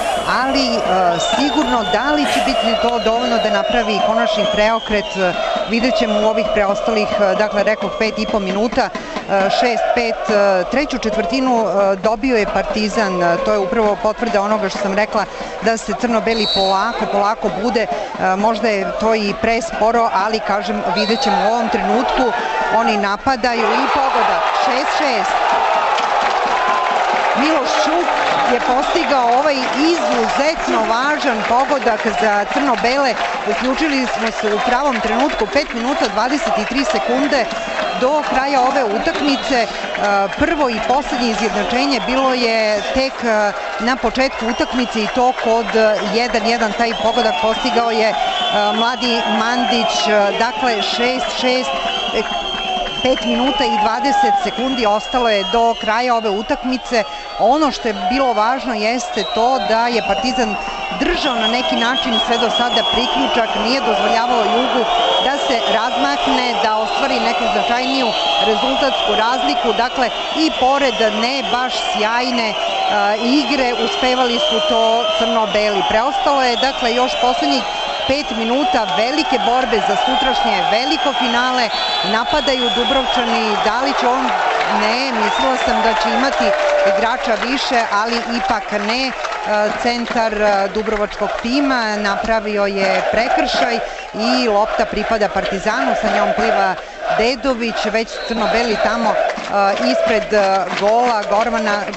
ali sigurno da li će biti to dovoljno da napravi konačni preokret, vidjet ćemo u ovih preostalih, dakle rekao 5,5 minuta, 6-5. Treću četvrtinu dobio je Partizan, to je upravo potvrda onoga što sam rekla, da se crno-beli polako bude, možda je to i presporo, ali kažem, vidjet ćemo u ovom trenutku, oni napadaju i pogodak, 6-6. Miloš Čuk je postigao ovaj izuzetno važan pogodak za crno-bele. Uključili smo se u pravom trenutku, 5 minuta 23 sekunde do kraja ove utakmice. Prvo i poslednje izjednačenje bilo je tek na početku utakmice i to kod 1-1. Taj pogodak postigao je mladi Mandić, dakle 6-6. 5 minuta i 20 sekundi ostalo je do kraja ove utakmice. Ono što je bilo važno jeste to da je Partizan držao na neki način sve do sada priključak, nije dozvoljavao Jugu da se razmakne, da ostvari neku značajniju rezultatsku razliku. Dakle, i pored ne baš sjajne igre, uspevali su to crno-beli. Preostalo je, dakle, još poslednjih 5 minuta velike borbe za sutrašnje veliko finale. Napadaju Dubrovčani, da li će on? Ne, mislila sam da će imati igrača više, ali ipak ne. Centar dubrovačkog tima napravio je prekršaj i lopta pripada Partizanu, sa njom pliva Dedović, već crno-beli tamo ispred gola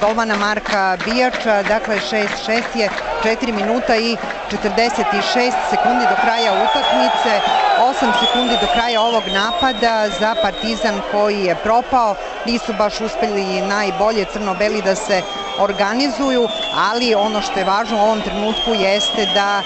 golmana Marka Bijača, dakle 6-6 je, 4 minuta i 46 sekundi do kraja utakmice, 8 sekundi do kraja ovog napada za Partizan koji je propao. Nisu baš uspeli najbolje crno-beli da se organizuju, ali ono što je važno u ovom trenutku jeste da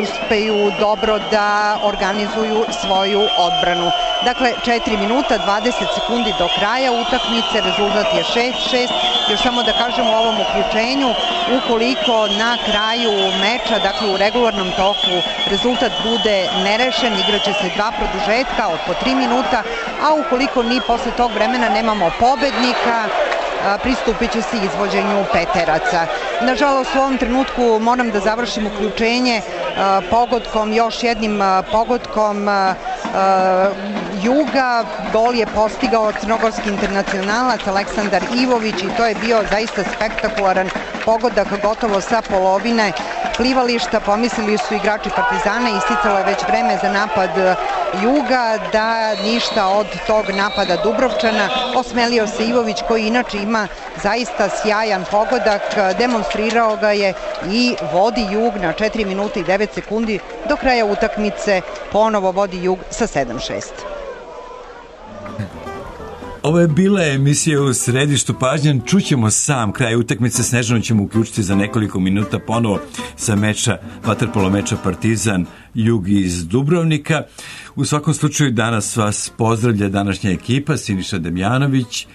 uspeju dobro da organizuju svoju odbranu. Dakle, 4 minuta, 20 sekundi do kraja utakmice, rezultat je 6-6. Još samo da kažem u ovom uključenju, ukoliko na kraju meča, dakle u regularnom toku, rezultat bude nerešen, igraće se 2 produžetka od po 3 minuta, a ukoliko ni posle tog vremena nemamo pobednika, pristupit će se izvođenju peteraca. Nažalost, u ovom trenutku moram da završim uključenje pogodkom, još jednim pogodkom Juga. Gol je postigao crnogorski internacionalac Aleksandar Ivović i to je bio zaista spektakularan pogodak gotovo sa polovine plivališta. Pomislili su igrači Partizana, isticalo je već vreme za napad Juga, da ništa od tog napada Dubrovčana. Osmelio se Ivović koji inače ima zaista sjajan pogodak, demonstrirao ga je i vodi Jug na 4 minuta i 9 sekundi do kraja utakmice, ponovo vodi Jug sa 7-6. Ovo je bila emisija u središtu pažnje. Čućemo sam kraj utakmice. Snežanu ćemo uključiti za nekoliko minuta ponovo sa meča, vaterpolo meča Partizan Jug iz Dubrovnika. U svakom slučaju danas vas pozdravlja današnja ekipa: Siniša Damjanović,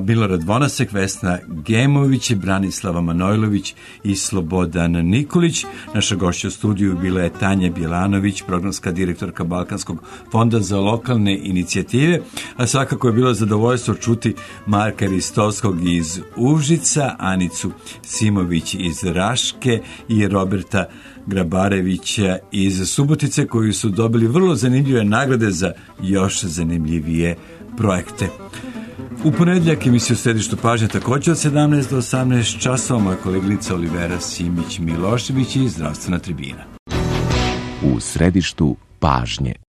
Milorad Vonasek, Vesna Gemović, Branislava Manojlović i Slobodan Nikolić. Naša gošća u studiju bila je Tanja Bjelanović, programska direktorka Balkanskog fonda za lokalne inicijative, a svakako je bilo zadovoljstvo čuti Marka Ristovskog iz Užica, Anicu Simović iz Raške i Roberta Grabarevića iz Subotice, koji su dobili vrlo zanimljive nagrade za još zanimljivije projekte. U ponedjeljak emisiju Središtu pažnje također od 17 do 18 časova moja koleginica Olivera Simić-Milošević i Zdravstvena tribina. U središtu pažnje.